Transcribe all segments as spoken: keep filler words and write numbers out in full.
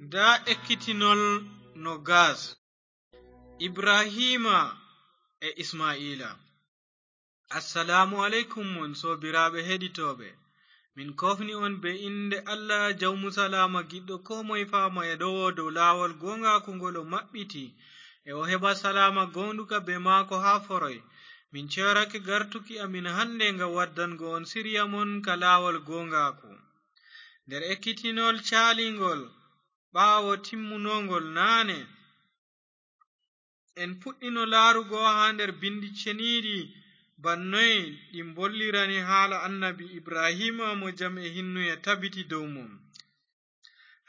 Nda ekkitinol no gas. Ibrahima e Ismaila. Assalamu alaikum mon sobiraɓe heɗitoɓe. Min kofni on be inde Allah jawmu salama giɗɗo ko moye fama e ɗowo dow lawol gongaku ngol o maɓɓiti. E o heɓa salama gonduka be mako ha foroy. Min cerake gartuki amin hande nga waddango on siriya mon ka lawol gongaku. Nder ekkitinol calingol ɓawo timmunongol nane. En puɗɗino laarugo haa nder binndi ceniiɗi bannoy ɗi mbollirani haala annabi Ibrahiima mo jam e hinnuye tabiti dow mum.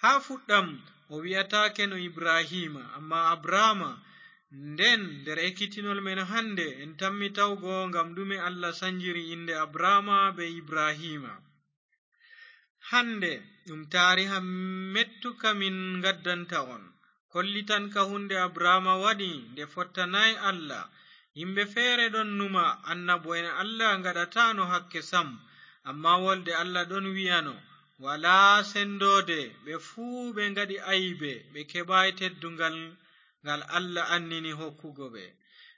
Haa fuɗɗam o wi'ataake no Ibrahiima, ammaa Abraama. Nden nder ekkitinol men hannde en tammi tawgo ngam ɗume Allah sanjiri innde Abraama bee Ibrahiima. Hannde ɗum taariha mettuka min ngaddanta on. Kollitan ka huunde Abraama waɗi nde fottanaay Allah. Yimɓe feere ɗon numa annabo'en Allah ngaɗataano hakke sam, ammaa wolde Allah ɗon wi'ano, walaa senndoode ɓe fuu ɓe ngaɗi aybe, ɓe keɓaay teddungal ngal Allah annini hokkugo ɓe.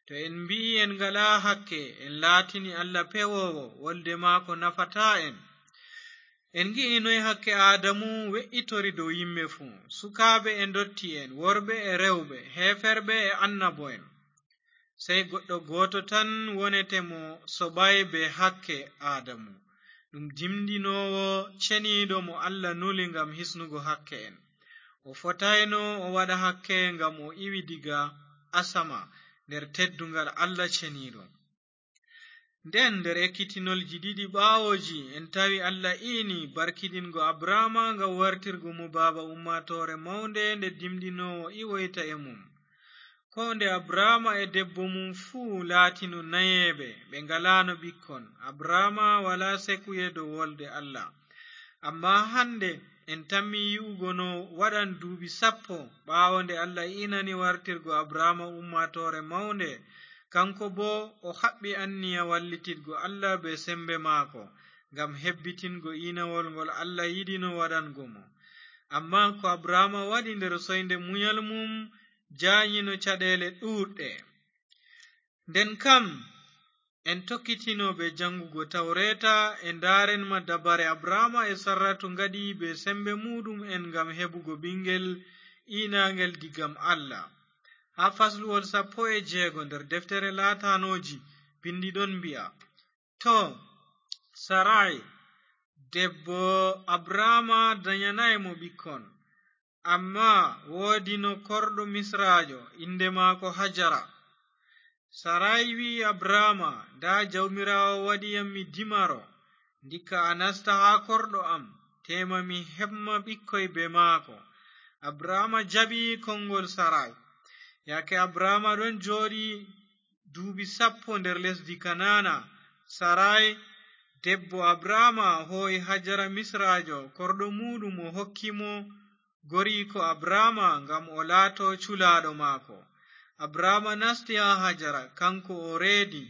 To en mbi'i en ngalaa hakke, en laatini Allah pewoowo, wolde maako nafataa en. En ngi'i noy hakke Aadamu we'itori dow yimɓe fuu, sukaaɓe e ndotti'en, worɓe e rewɓe, heeferɓe e annabo'en. Sey goɗɗo gooto tan wonete mo soɓaay bee hakke Aadamu. Ɗum jimɗinoowo ceniiɗo mo Allah nuli ngam hisnugo hakke'en. O fotayno o waɗa hakke ngam o iwi diga asama nder teddungal Allah ceniiɗo. Nden nder ekkitinolji ɗiɗi ɓaawoji en tawi Allah iini barkidingo Abraama ngam wartirgo mo baaba ummaatoore mawnde nde dimɗinoowo iwoyta e mum. Ko nde Abraama e debbo mum fuu laatino nayeeɓe, ɓe ngalaano ɓikkon. Abraama walaa sekuye dow wolde Allah. Ammaa hannde en tammi yi'ugo no waɗan duuɓi sappo ɓaawo nde Allah iinani wartirgo Abraama ummaatoore mawnde, kanko boo o haɓɓi anniya wallitidgo Allah bee semmbe maako, ngam hebbitingo iinawol ngol Allah yiɗino waɗango mo. Ammaa ko Abraama waɗi nder soynde munyal mum jaanyino caɗeele ɗuuɗɗe. Nden kam, en tokkitino bee janngugo Tawreeta, e ndaaren ma dabare Abraama e Sarratu ngaɗi bee semmbe muuɗum'en ngam heɓugo ɓiŋngel iinaangel digam Allah. Haa fasluwol sappo e jeego nder deftere Laatanooji, binndi ɗon mbi'a, to, Saray, debbo Abraama danyanaay mo ɓikkon. Ammaa woodino korɗo Misraajo, innde maako Hajara. Saray wi'i Abraama, ndaa, Jawmiraawo waɗi yam mi dimaro. Ndikka a nasta haa korɗo am, teema mi heɓma ɓikkoy bee maako. Abraama jaɓi konngol Saray. Yaake Abraama ɗon jooɗi duuɓi sappo nder lesdi Kanaana, Saray, debbo Abraama, hoo'i Hajara Misraajo, korɗo muuɗum, o hokki mo goriiko Abraama ngam o laato culaaɗo maako. Abraama nasti haa Hajara, kaŋko o reedi.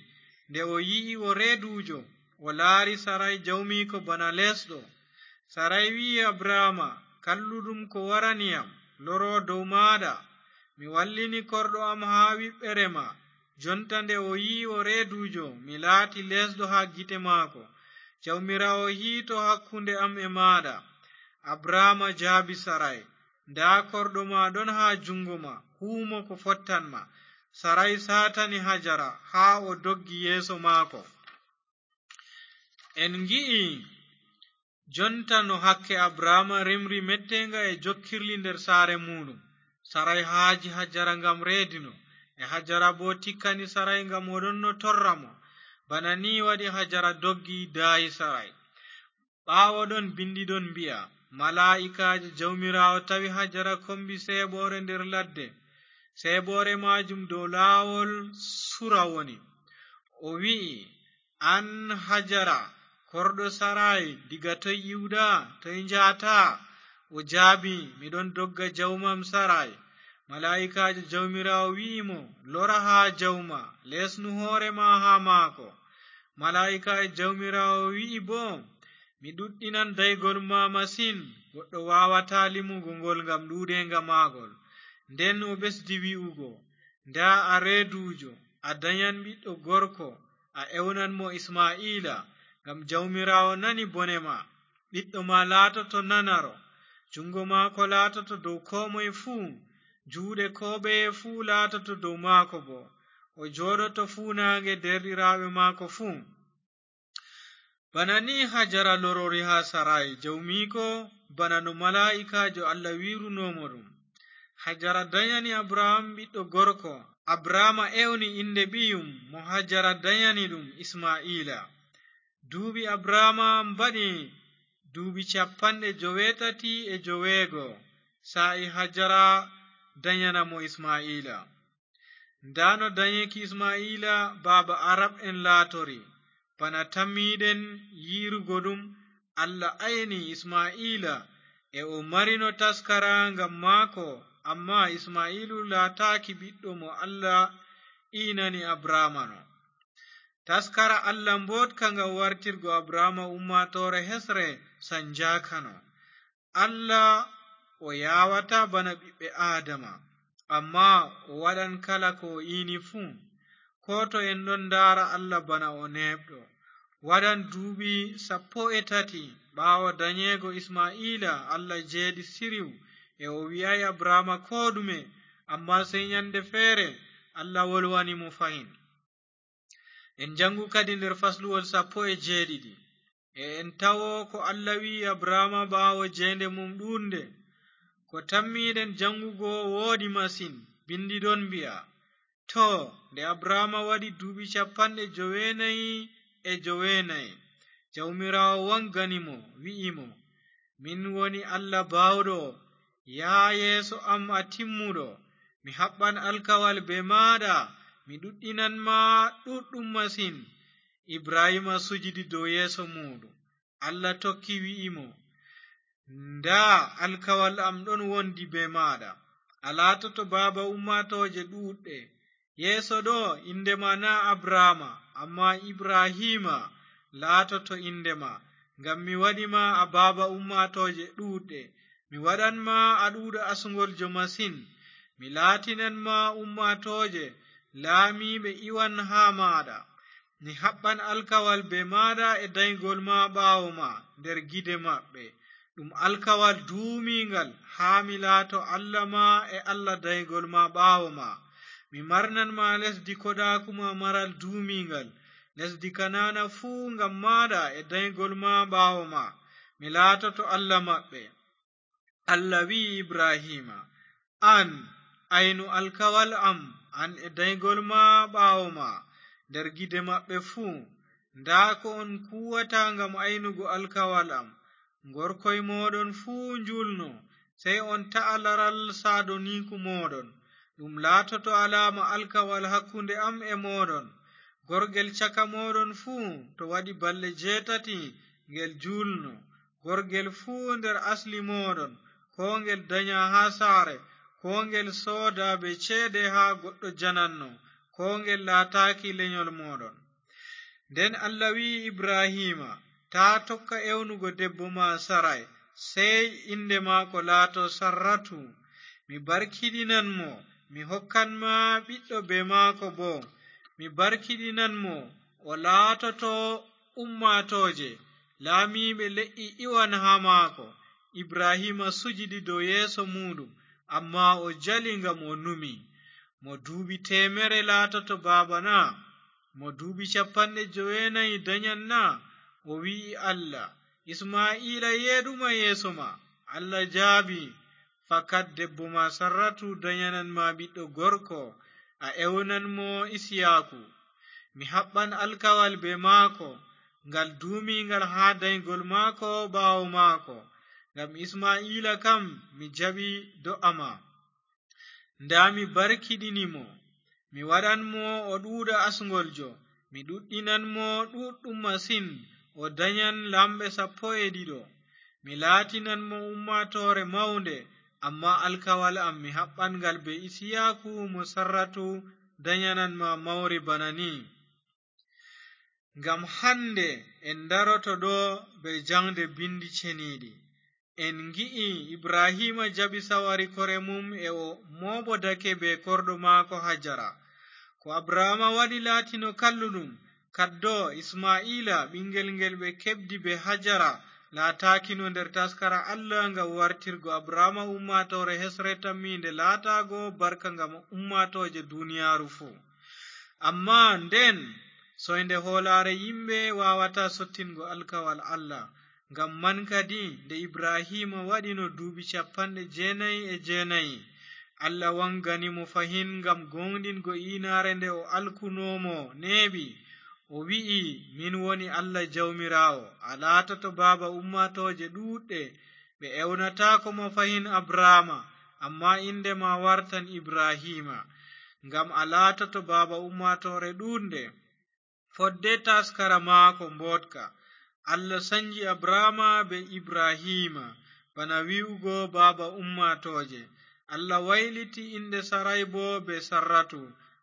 Nde o yi'i o reeduujo, o laari Saray jawmiiko bana leesɗo. Saray wi'i Abraama, kalluɗum ko warani yam, loro dow maaɗa. Mi wallini korɗo am haa wiɓɓere ma. Jonta nde o yi'i o reeduujo, mi laati leesɗo haa gite maako. Jawmiraawo hiito hakkunde am e maaɗa. Abraama jaabi Saray, ndaa korɗo ma ɗon haa juŋngo ma, huumo ko fottan ma. Saray saatani Hajara haa o doggi yeeso maako. En ngi'i jonta no hakke Abraama rimri metteeŋga e jokkirli nder saare muuɗum. Saray haaji Hajara ngam reedino, e Hajara boo tikkani Saray ngam o ɗonno torra mo. Bana ni waɗi Hajara doggi daayi Saray. Ɓaawo ɗon binndi ɗon mbi'a, malaa'ikaajo Jawmiraawo tawi Hajara kombi seeɓoore nder ladde. Seeɓoore maajum dow laawol Sura woni. O wi'i, an Hajara, korɗo Saray, diga toy iwɗa, toy njahata? O jaabi, mi ɗon dogga jawmam Saray. Malaa'ikaajo Jawmiraawo wi'i mo, lora haa jawma, leesnu hoore ma haa maako. Malaa'ikaajo Jawmiraawo wi'i boo, mi ɗuɗɗinan daygol ma masin, goɗɗo waawataa limugo ngol ngam ɗuuɗeenga maagol. Nden o ɓesdi wi'ugo, "Ndaa a reeduujo, a danyan ɓiɗɗo gorko, a ewnan mo Ismaa'iila, ngam Jawmiraawo nani bone ma. Ɓiɗɗo ma laatoto nanaro, juŋngo maako laatoto dow koo moy fuu, juuɗe koo ɓeye fuu laatoto dow maako boo. O jooɗoto fuunaaŋge deerɗiraaɓe maako fuu." Bana ni Hajara lorori haa Saray jawmiiko, bana no malaa'ikaajo Allah wi'runo mo ɗum. Hajara danyani Abrahaam ɓiɗɗo gorko. Abrahaama ewni innde ɓiyum mo Hajara danyani ɗum Ismaa'iila. Duuɓi Abrahaama mbaɗi duuɓi cappanɗe joweetati e joweego, saa'i Hajara danyana mo Ismaa'iila. Ndaa no danyeki Ismaa'iila baaba Arab'en laatori. Bana tammiiɗen yi'rugo ɗum, Allah ayni Ismaa'iila e o marino taskara ngam maako, ammaa Ismaa'iilu laataaki ɓiɗɗo mo Allah iinani Abrahaama no. Taskara Allah mbooɗka ngam wartirgo Abrahaama ummaatoore hesre sanjaakano. Allah o yaawataa bana ɓiɓɓe Aadama, ammaa o waɗan kala ko o iini fuu. Koo to en ɗon ndaara Allah bana o neeɓɗo, waɗan duuɓi sappo e tati ɓaawo danyeego Ismaa'iila, Allah jeeɗi siriw e o wi'aay Abrahaama koo ɗume, ammaa sey nyannde feere Allah wolwani mo fahin. En jaŋgu kadi nder fasluwol sappo e jeeɗiɗi, e en tawo ko Allah wi'i Abrahaama ɓaawo jeende mum ɗuuɗnde. Ko tammiiɗen jaŋgugo wooɗi masin, binndi ɗon mbi'a, "Too, nde Abrahaama waɗi duuɓi cappanɗe joweenayi e joweenayi, Jawmiraawo waŋgani mo, wi'i mo, 'Min woni Allah baawɗo, yaha yeeso am a timmuɗo. Mi haɓɓan alkawal bee maaɗa, mi ɗuɗɗinan ma ɗuuɗɗum masin.'" Ibrahiima sujidi dow yeeso muuɗum. Allah tokki wi'i mo, "Ndaa, alkawal am ɗon wondi bee maaɗa. A laatoto baaba ummaatooje ɗuuɗɗe. Yeeso ɗo, innde ma naa Abrahaama, ammaa Ibrahiima laatoto innde ma, ngam mi waɗi ma a baaba ummaatooje ɗuuɗɗe. Mi waɗan ma a ɗuuɗa asŋgoljo masin. Mi laatinan ma ummaatooje, laamiiɓe iwan haa maaɗa. Mi haɓɓan alkawal bee maaɗa e danygol ma ɓaawo ma nder gide maɓɓe. Ɗum alkawal duumiiŋgal, haa mi laato Allah ma e Allah danygol ma ɓaawo ma. Mi marnan ma lesdi koɗaaku ma maral duumiiŋgal, lesdi Kanaana fuu ngam maaɗa e danygol ma ɓaawo ma. Mi laatoto Allah maɓɓe." Allah wi'i Ibrahiima, "An, aynu alkawal am, an e danygol ma ɓaawo ma, nder gide maɓɓe fuu. Ndaa ko on kuuwata ngam aynugo alkawal am. Gorkoy mooɗon fuu njuulno, sey on ta'a laral saadoniiku mooɗon. Ɗum laatoto alaama alkawal hakkunde am e mooɗon. Gorgel caka mooɗon fuu, to waɗi balɗe jeetati, ngel juulno. Gorgel fuu nder asli mooɗon, koo ngel danya haa saare, koo ngel sooda bee ceede haa goɗɗo jananno, koo ngel laataaki lenyol mooɗon." Nden Allah wi'i Ibrahiima, "Taa tokka ewnugo debbo ma Saray, sey innde maako laato Sarratu. Mi barkiɗinan mo, mi hokkan ma ɓiɗɗo bee maako boo. Mi barkiɗinan mo, o laatoto ummaatooje, laamiiɓe le'i iwan haa maako." Ibrahiima sujidi dow yeeso muuɗum, ammaa o jali ngam o numi, "Mo duuɓi teemere laatoto baaba na? Mo duuɓi cappanɗe joweenayi danyan na?" O wi'i Allah, "Ismaa'iila yeeɗuma yeeso ma." Allah jaabi, "Fakat debbo ma Sarratu danyanan ma ɓiɗɗo gorko, a ewnan mo Isiyaaku. Mi haɓɓan alkawal bee maako, ngal duumiiŋgal haa danygol maako ɓaawo maako, ngam Ismaa'iila kam mi jaɓi do'a ma. Ndaa, mi barkiɗini mo, mi waɗan mo o ɗuuɗa asŋgoljo, mi ɗuɗɗinan mo ɗuuɗɗum masin, o danyan laamɓe sappo e ɗiɗo. Mi laatinan mo ummaatoore mawnde, ammaa alkawal am mi haɓɓan ngal bee Isiyaaku mo Sarratu danyanan ma mawri bana ni." Ngam hannde en daroto ɗo bee jaŋde binndi ceniiɗi. En ngi'i Ibrahiima jaɓi sawari kore mum e o mooɓodake bee korɗo maako Hajara. Ko Abraama waɗi laatino kalluɗum, kaddo Isma'iila, ɓiŋngel ngel ɓe keɓdi bee Hajara, laataakino nder taskara Allah ngam wartirgo Abraama ummaatoore hesre tammiinde laataago barka ngam ummaatooje duniyaaru fuu. Ammaa nden, soynde hoolaare yimɓe waawataa sottingo alkawal Allah. Ngam man kadi, nde Ibrahiima waɗino duuɓi cappanɗe jeenayi e jeenayi, Allah waŋgani mo fahin ngam gooŋɗingo iinaare nde o alkunoo mo neeɓi. O wi'i, "Min woni Allah Jawmiraawo, a laatoto baaba ummaatooje ɗuuɗɗe." Ɓe ewnataako ma fahin Abraama, ammaa innde ma wartan Ibrahiima, ngam a laatoto baaba ummaatoore ɗuuɗnde. Fodde taskara maako mbooɗka, Allah sanji Abraama bee Ibrahiima, bana wi'ugo baaba ummaatooje. Allah wayliti innde Saray boo bee Sarratu,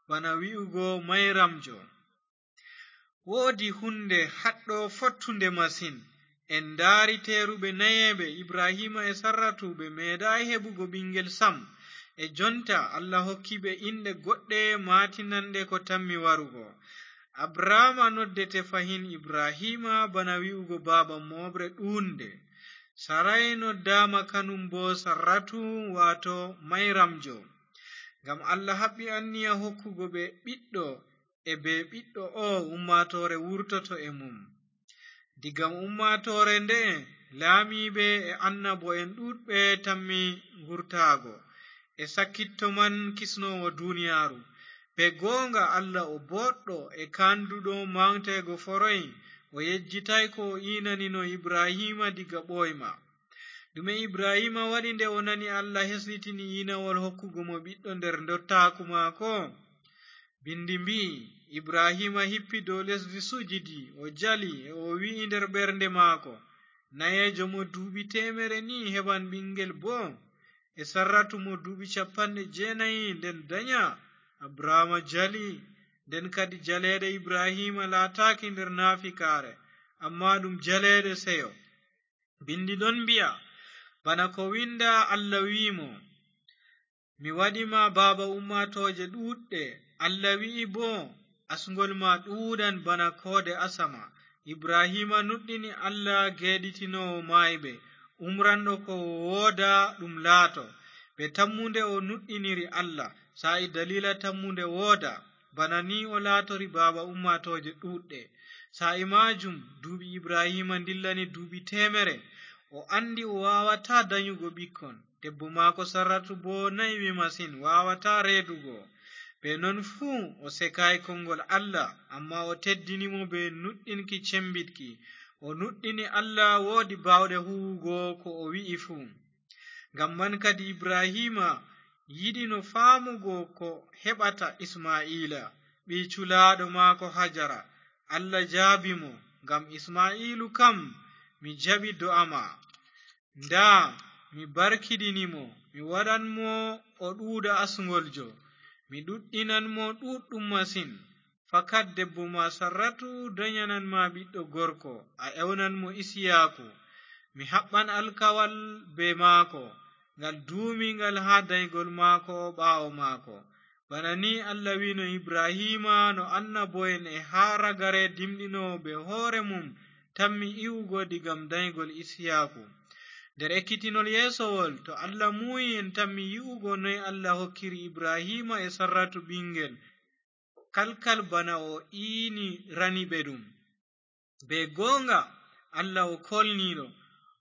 bana wi'ugo mayramjo. Woodi huunde haɗɗo fottunde masin. En ndaari teeruɓe nayeeɓe, Ibrahiima e Sarratu, ɓe meeɗaay heɓugo ɓiŋngel sam. E jonta, Allah hokki ɓe inɗe goɗɗe maatinanɗe ko tammi warugo. Abraama noddete fahin Ibrahiima, bana wi'ugo baaba mooɓre ɗuuɗnde. Saray noddaama kanum boo Sarratu, waato mayramjo. Ngam Allah haɓɓi anniya hokkugo ɓe ɓiɗɗo, e bee ɓiɗɗo o ummaatoore wurtoto e mum. Diga ummaatoore nde'e, laamiiɓe e annabo'en ɗuuɗɓe tammi wurtaago. E sakkitto man kisnoowo duniyaaru. Bee gooŋga Allah o booɗɗo e kaanduɗo maŋgteego foroy, o yejjitaay ko o iinanino Ibrahiima diga ɓooyma. Ɗume Ibrahiima waɗi nde o nani Allah hesɗitini iinawol hokkugo mo ɓiɗɗo nder ndottaaku maako? Bindi mbi'i, Ibrahiima hippi dow lesdi sujidi, o jali, e o wi'i nder ɓernde maako, "Nayeejo mo duuɓi teemere ni heɓan ɓiŋngel boo? E Sarratu mo duuɓi cappanɗe jeenayi nden danya?" Abraama jali, nden kadi jaleeɗe Ibrahiima laataaki nder naafikaare, ammaa ɗum jaleeɗe seyo. Bindi ɗon mbi'a, bana ko winda Allah wi'i mo, "Mi waɗi ma baaba ummaatooje ɗuuɗɗe." Allah wi'i boo, "Asŋgol ma ɗuuɗan bana koode asama." Ibrahiima nuɗɗini Allah geeɗitinoowo maayɓe, umranɗo ko wooda ɗum laato. Bee tammunde o nuɗɗiniri Allah. Saa'i daliila tammunde wooda, bana ni o laatori baaba ummaatooje ɗuuɗɗe. Saa'i maajum, duuɓi Ibrahiima ndillani duuɓi teemere. O anndi o waawataa danyugo ɓikkon. Debbo maako Sarratu boo naywi masin, waawataa reedugo. Bee non fuu, o sekaay koŋngol Allah, ammaa o teddini mo bee nuɗɗinki cembiɗki. O nuɗɗini Allah woodi baawɗe huuwugo ko o wi'i fuu. Ngam man kadi Ibrahiima yiɗino faamugo ko heɓata Isma'iila, ɓii culaaɗo maako Hajara. Allah jaabi mo, "Ngam Isma'iilu kam, mi jaɓi do'a ma. Ndaa, mi barkiɗini mo, mi waɗan mo o ɗuuɗa asŋgoljo, mi ɗuɗɗinan mo ɗuuɗɗum masin. Fakat debbo ma Sarratu danyanan ma ɓiɗɗo gorko, a ewnan mo Isiyaaku. Mi haɓɓan alkawal bee maako, ngal duumiiŋgal haa daygol maako ɓaawo maako." Bana ni Allah wi'no Ibrahiima no annabo'en e haa ragare dimɗinoowo bee hoore mum tammi iwugo digam daygol Isiyaaku. Nder ekkitinol yeesowol, to Allah muuyi, en tammi yi'ugo noy Allah hokkiri Ibrahiima e Sarratu ɓiŋngel, kalkal bana o iini rani ɓe ɗum. Bee gooŋga, Allah o koolniiɗo,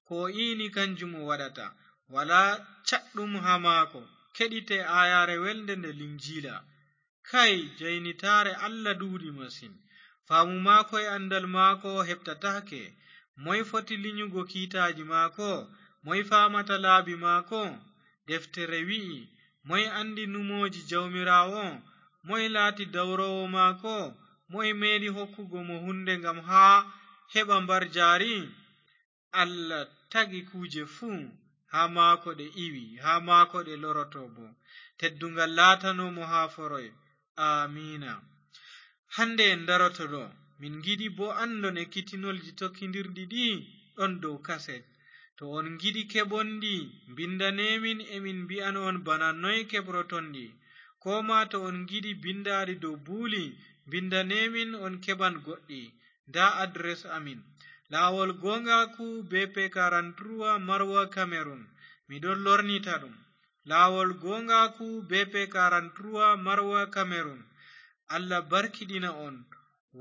ko o iini kanjum o waɗata. Walaa caɗɗum haa maako. Keɗite aayaare welnde nde Linjiila. Kay, jaynitaare Allah ɗuuɗi masin. Faamu maako e anndal maako heɓtataake. Moy foti linyugo kiitaaji maako? Moy faamata laabi maako? Deftere wi'i, "Moy anndi numooji Jawmiraawo? Moy laati dawroowo maako? Moy meeɗi hokkugo mo huunde ngam haa heɓa mbarjaari?" Allah tagi kuuje fuu, haa maako ɗe iwi, haa maako ɗe loroto boo. Tedduŋgal laatano mo haa foroy. Aamiina. Hannde en ndaroto ɗo, min ngiɗi boo anndon ekkitinolji tokkindirɗi ɗi ɗon dow kaset. To on ngiɗi keɓon ndi, mbindanee min, emin mbi'an on bana noy keɓroton ndi. Koo maa to on ngiɗi bindaari dow buuli, mbindanee min, on keɓan goɗɗi. Ndaa adres amin. Laawol gooŋgaaku, B P quarante-trois, Maroua, Cameroun. Miɗon lornita ɗum. Laawol gooŋgaaku, B P quarante-trois, Maroua, Cameroun. Allah barkiɗina on,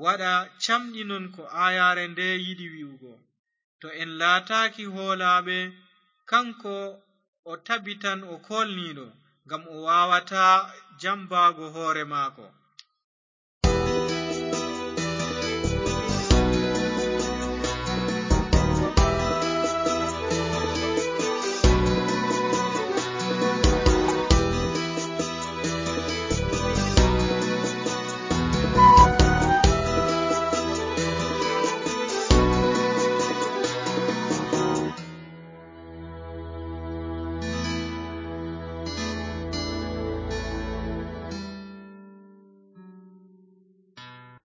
waɗa camɗinon ko aayaare nde yiɗi wi'ugo. To en laataaki hoolaaɓe, kanko o tabitan o koolniiɗo, ngam o waawataa jambaago hoore maako.